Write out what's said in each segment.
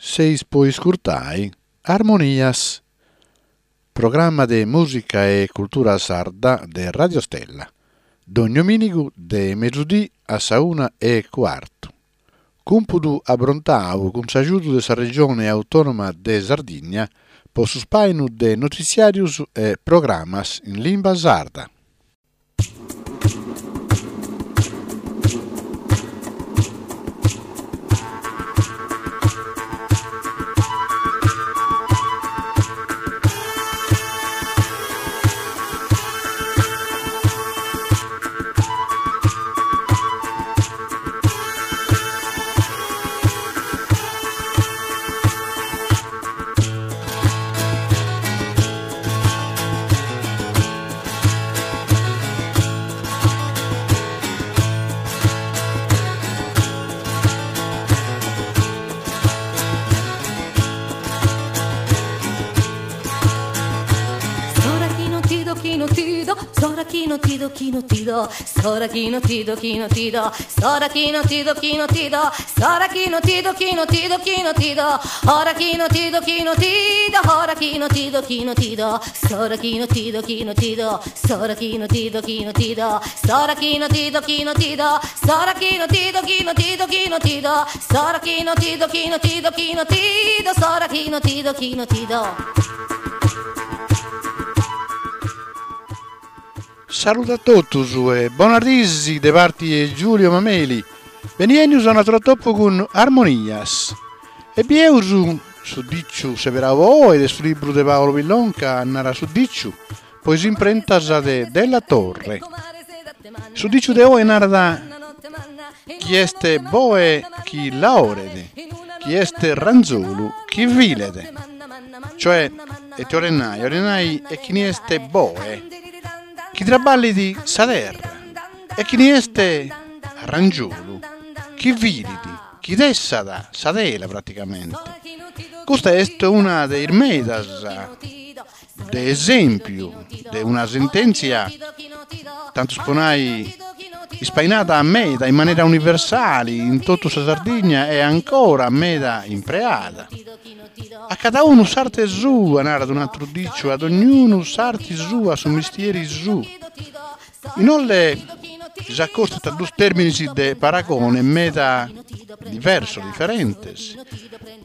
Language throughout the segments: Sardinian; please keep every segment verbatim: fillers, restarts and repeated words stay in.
Seis po iscurtai Armonias, programma de mùsica e cultura sarda de Radio Stella, dogni domìnigu de mesudì a sa una e cuartu. Cumpudu abrontadu cun s'agiudu de sa Regione Autònoma de Sardigna pro su ispàinu de notitziàrios e programmas in limba sarda. S'ora chi no ti do, chi no ti do, s'ora chi no ti do, chi no ti do, s'ora chi no ti do, chi no ti do, s'ora chi no ti do, chi no ti do, chi no ti do, ora chi no ti do, chi no ti do, ora chi no ti do, chi no ti do, s'ora chi no ti do, chi no ti do, s'ora chi no ti do, chi no ti do, s'ora chi no ti do, chi no ti do, s'ora chi no ti do, chi no ti do, chi no ti do, s'ora chi no ti do, chi no ti do, chi no ti do, s'ora chi no ti do, chi no ti do. Salude a totus e bona disi de parti 'e Giulio Mameli. Benienius a un'atru atopu cun Armonias. E bieus su diciu seberau oe de su libru de Paolo Pillonca Nara su diciu, po is imprentas de Della Torre. Su diciu de oe narat chi est boe chi laoret, chi est ranzolu chi filet. Cioè, ite 'olet nai? 'Olet nai e chini est boe, chi traballit sa terra, e chini est arrangiolu, chi filit, chi tessat sa tela praticamente. Custa est una de is medas de esèmpiu de una sentèntzia, tantu po nai, ispainada meda in manera universale in totu sa Sardigna e ancora meda impreada. A cada unu s'arte sua, narat un'àteru diciu, a dognunu s'arte sua, su mestieri suo. Inoltre s'acostant duos tèrmines de paragone meda diversos, diferentes,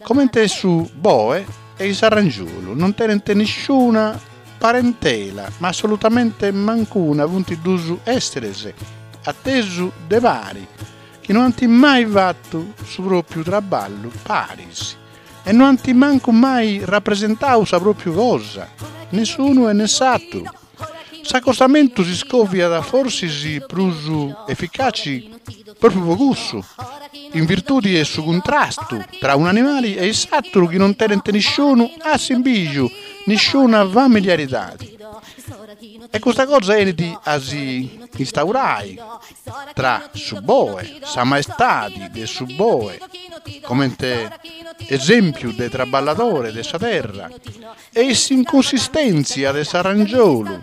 comente su boe e s'arrangiolu, non tenent nissuna parentela, ma assolutamente mancuna, sunt duos èsseres a tesu de pari, chi no ant mai fatu su pròpiu traballu paris e no ant mancu mai rapresentadu sa pròpiu cosa, ne s'unu e ne s'àteru. S'acostamentu s'iscòviat forsis prus eficace pròpiu pro cussu, in virtude de su cuntrastu tra un'animale e s'àteru chi non tenent nissunu assimbìgiu, nissuna familiaridade. E custa cosa 'enit a si instaurare tra su boe, sa maestade de su boe, comente esèmpiu de traballadore de sa terra, e s'inconsistèntzia de s'arrangiolu,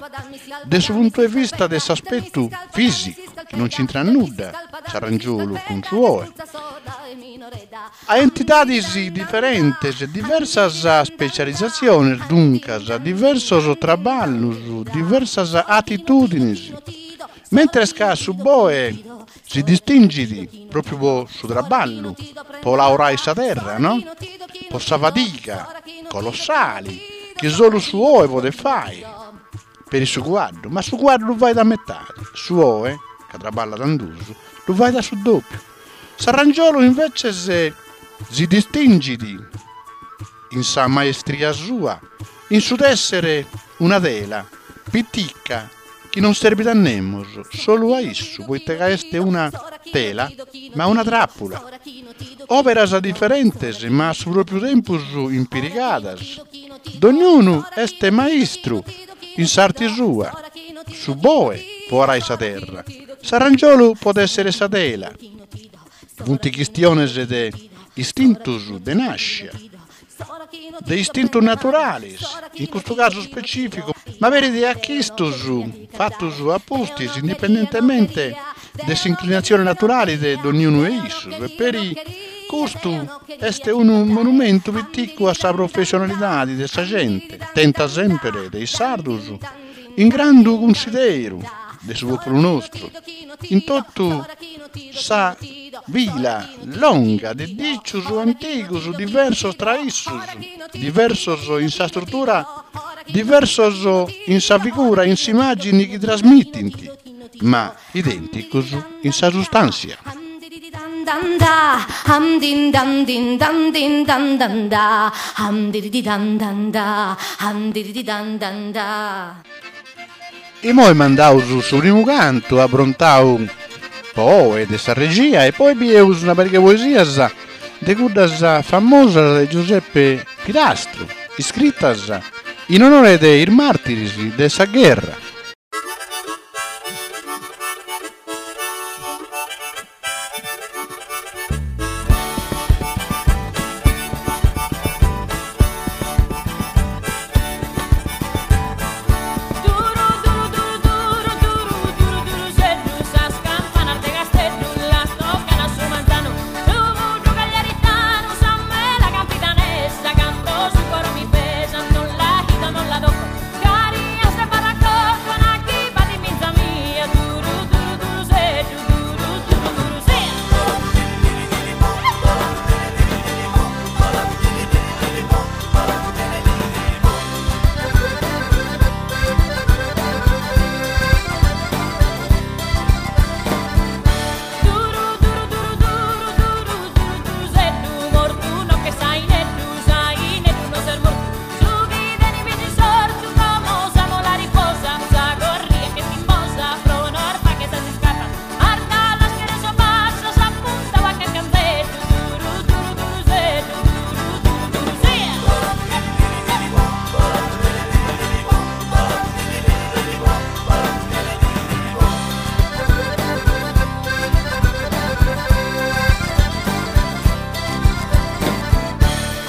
de su puntu de vista de s'aspetu fìsicu, chi non c'intrat nudda s'arrangiolu cun su boe. A entidades diferentes, diversas specialitzatziones, duncas, diversos traballos, diversas atitùdines. Mentres ca su boe si distingit pròpiu pro su traballu, pro laorare sa terra, no? Pro sa fadiga colossale chi solu su 'oe podet fàghere, peri su cuaddu, ma su cuaddu lu faghet a metade, su 'oe, ca traballat in duos, lu faghet a su dòpiu. S'arrangiolu inveces si distingit in sa maestria sua, in su tèssere una tela pitica chi non servit a nemos, solu a issu, poite ca est una tela, ma una tràpula. Òperas diferentes, ma a su pròpiu tempus impirigadas. Dognunu est maistru in s'arte sua. Su boe pro arare sa terra, s'arrangiolu pro tèssere sa tela. Sunt chistiones de istintos de nàschida, de istintos naturales, in custu casu ispecìficu, ma peri de achistos fatos a pustis, indipendentemente de s'inclinatzione naturale de dognunu 'e issos, e peri Custu est unu monumentu piticu a sa professionalidade de sa gente, tenta semper de is sardos in grandu cunsideru de su pòpulu nostru, in totu sa fila longa de dìcios antigos diversos tra issos, diversos in sa istrutura, diversos in sa figura e in s'immàgine chi trasmitent, ma idènticos in sa sustàntzia. Dan da, ham din dan din dan din dan dan da, ham di di dan dan da, ham di di dan dan da. E moi mandaus su primu cantu abrontau poi de sa regia e poi bieus una pariga poesias de cuddas famosas de Giuseppe Pirastru, iscritas in onore de is màrtires de sa gherra. Duru, duru, duru, duru, duru, duru, duru, zeddu, sas campanas de Casteddu las tocan a su manzanu. Su burru cagliaritanu, sa mela campidanesa, canto su coro mi pesa, non la gito, non la tocco. Carias de barracocco, naki bati minza mia, duru, duru, duru, zeddu, duru, duru, duru, zeddu. Duru, duru, duru, duru, duru, duru, duru, zeddu, mortu no che saineddu, saineddu no ser mortu. Su chi teni mi sortu, como sa mola riposa, sa gorria che timbosa, pro norma che sa si scappa. Arda las che so passa, sa punta va che canzeddu, duru, duru, duru, zeddu, duru, duru, duru, zeddu.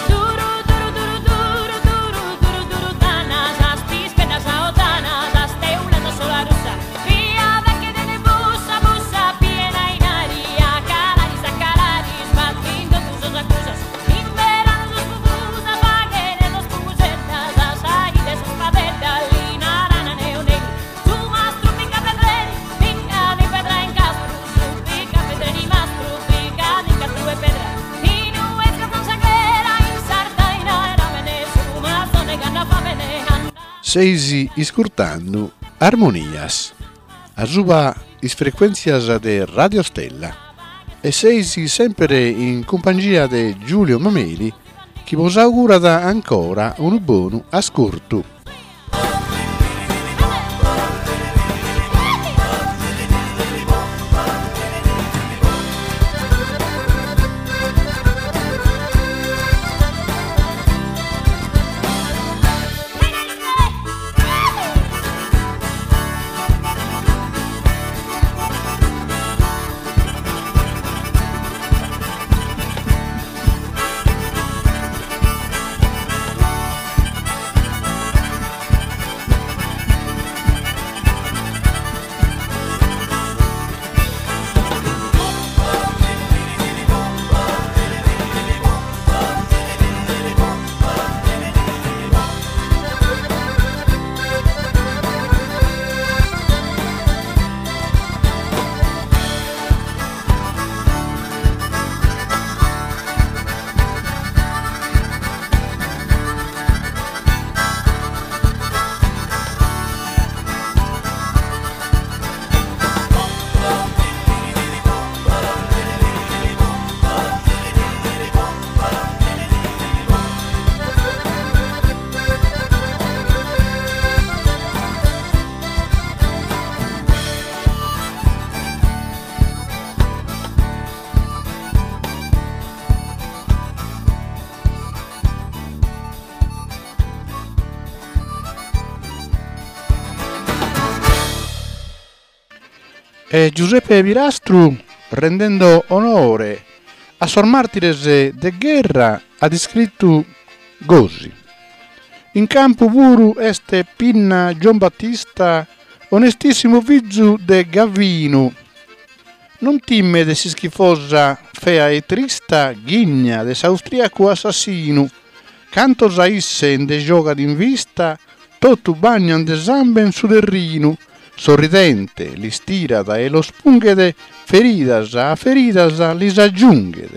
Duru, duru, duru, duru, duru, duru, duru, dana, sas pispeddas a otana, sas teulas a solarussa. Via da che dene bussa, bussa, piena in aria, calaris a calaris, battindo tu sos accusas. In verano sos pupusa, faghene sos pupusettas, sas aghite sos padeddas, li narana neu negru. Su mastru picca pedreri, picca di pedra in castru, su picca pedreri mastru, picca di castru e pedra. In uesca con sa ghera, in Sardegna era bene, su mazzone ganna fa bene, anda. Seis iscurtando Armonias, a suba is frequenzias de Radio Stella e seis sempre in compagnia de Giulio Mameli chi vos augurat ancora un buon ascolto. E Giuseppe Pirastru, rendendo onore a sos màrtires de gherra, at iscritu gosi. In campu puru est Pinna Gion Battista, onestissimo fizu de Gavinu. Non timme de s'ischifosa fea e trista ghigna de s'austriacu assassinu, cantos a isse nde giogat in vista, totu bagnan de samben su terrinu, sorridente lis tirat e los punghet, feridas a feridas lis aggiunghet.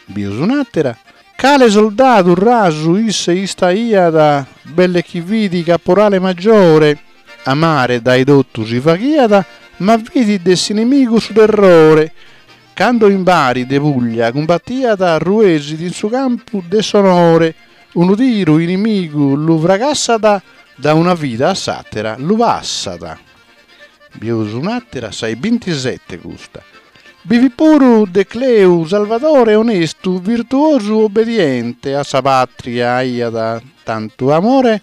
Bius un'àtera, cale soldadu rasu isse istaiat, belle chi fit caporale maggiore, amare dae totu si faghiat, ma fit de s'inimigu su terrore. Cando in Bari de Puglia cumbattiat, ruesit in su campu de s'onore, unu tiru inimigu lu fracassat, da una vida a s'àtera lu passat. Bius un'àtera, sa 'e bintisette custa. Bi fit puru de Cleu Salvadore onestu, virtuosu, obbediente, a sa pàtria aiat tantu amore,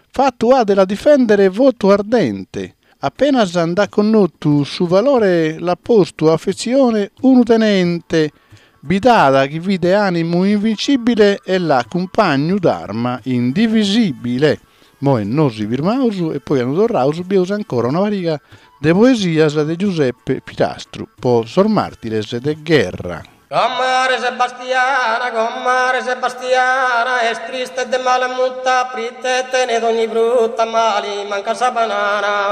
fattu at de la difendere votu ardente. Appenas nd'at connottu su valore l'at postu affetzione unu tenente, bidada chi fit de animu invincibile e l'at cumpagnu d'arma indivisibile. Moi nos firmaus e poi cando torraus bieus ancora una pariga de poesias de Giuseppe Pirastru po sos màrtires de gherra. Comare Sebastiana, comare Sebastiana, est triste de mala muta, prite tenet ogni frutta, ma li manca sa banana.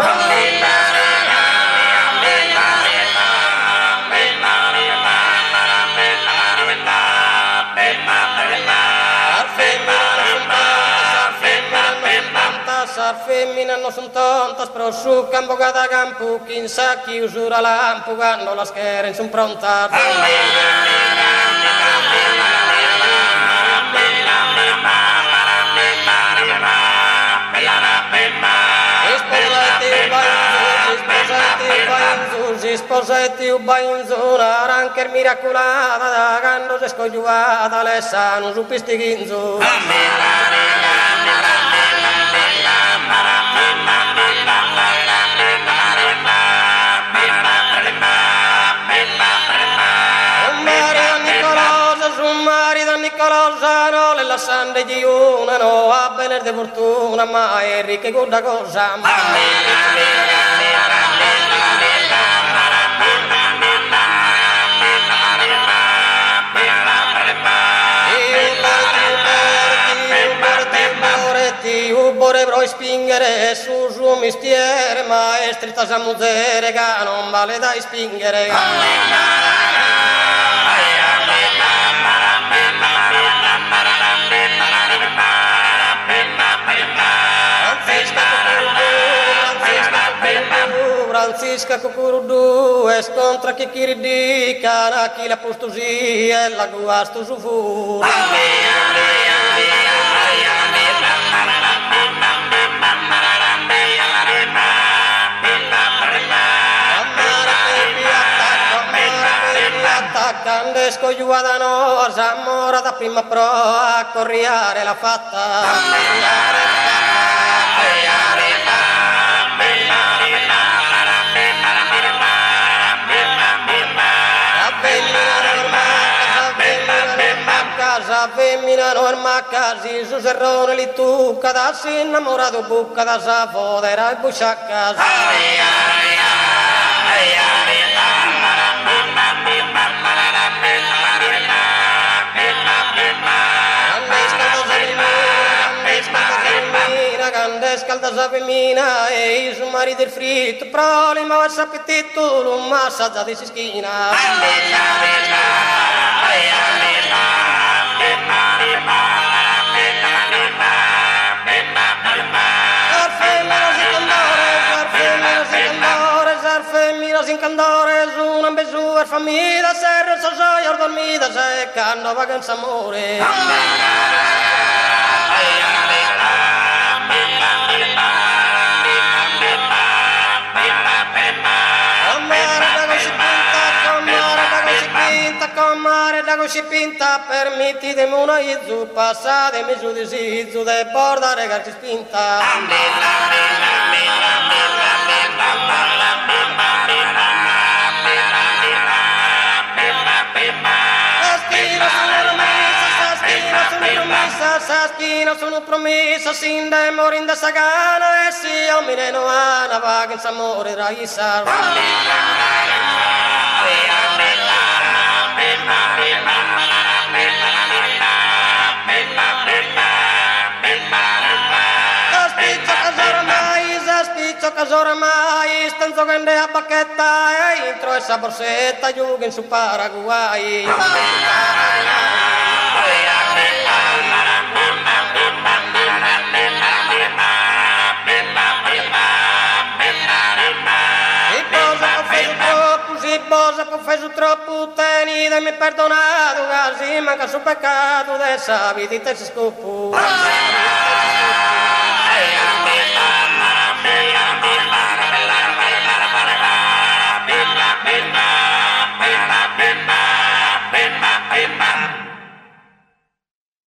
Sas feminas non sun tontas, pro su ch'an bogadu a campu, chin sa chiusura lampu, cando las cheren sun prontas. Isposa e tiu Bainzu, naran ch'est miraculada, da cando s'est cojuada l'est sanu su pistighinzu. Nicolosa, no le lassan de una, no a benes de fortuna, ma è ricca cudda cosa. Io pro ispingere su suo mestiere, ma è stretta sa muzere che non vale da ispingere. Francisca Cucuruddu est contra Chicchiriddì, cara chi l'ha posto sì e la guasto su fu. Quando scogliuata no, s'amora da prima proa a corriare la fatta. Sa femmina norma casi su serrone li tucca da si innamorato bucca da sa fodera e busciacca. Scalda sa femmina e su marito il fritto, proli ma s'appetito lo massaggia di schiena. Sin candores, una besú, famida, serra, sos dormida, se cando vagan s'amore. Comare da così pinta, permettitemi una izzu, passatemi su di sizzu, de bordare carci spinta. Saschina sono promessa, sin de morin de sagana, e si omine no ana, vagin s'amore raisa. Sas piccioccas oramai, sas piccioccas oramai, istan giocando a bacchetta e intro 'e sa borsetta giughen su Paraguay. Si bos apo offesu troppu, si bos apo offesu troppu, tenidemi perdonadu, ca si mancat su peccadu de sa vida ite s'iscopu.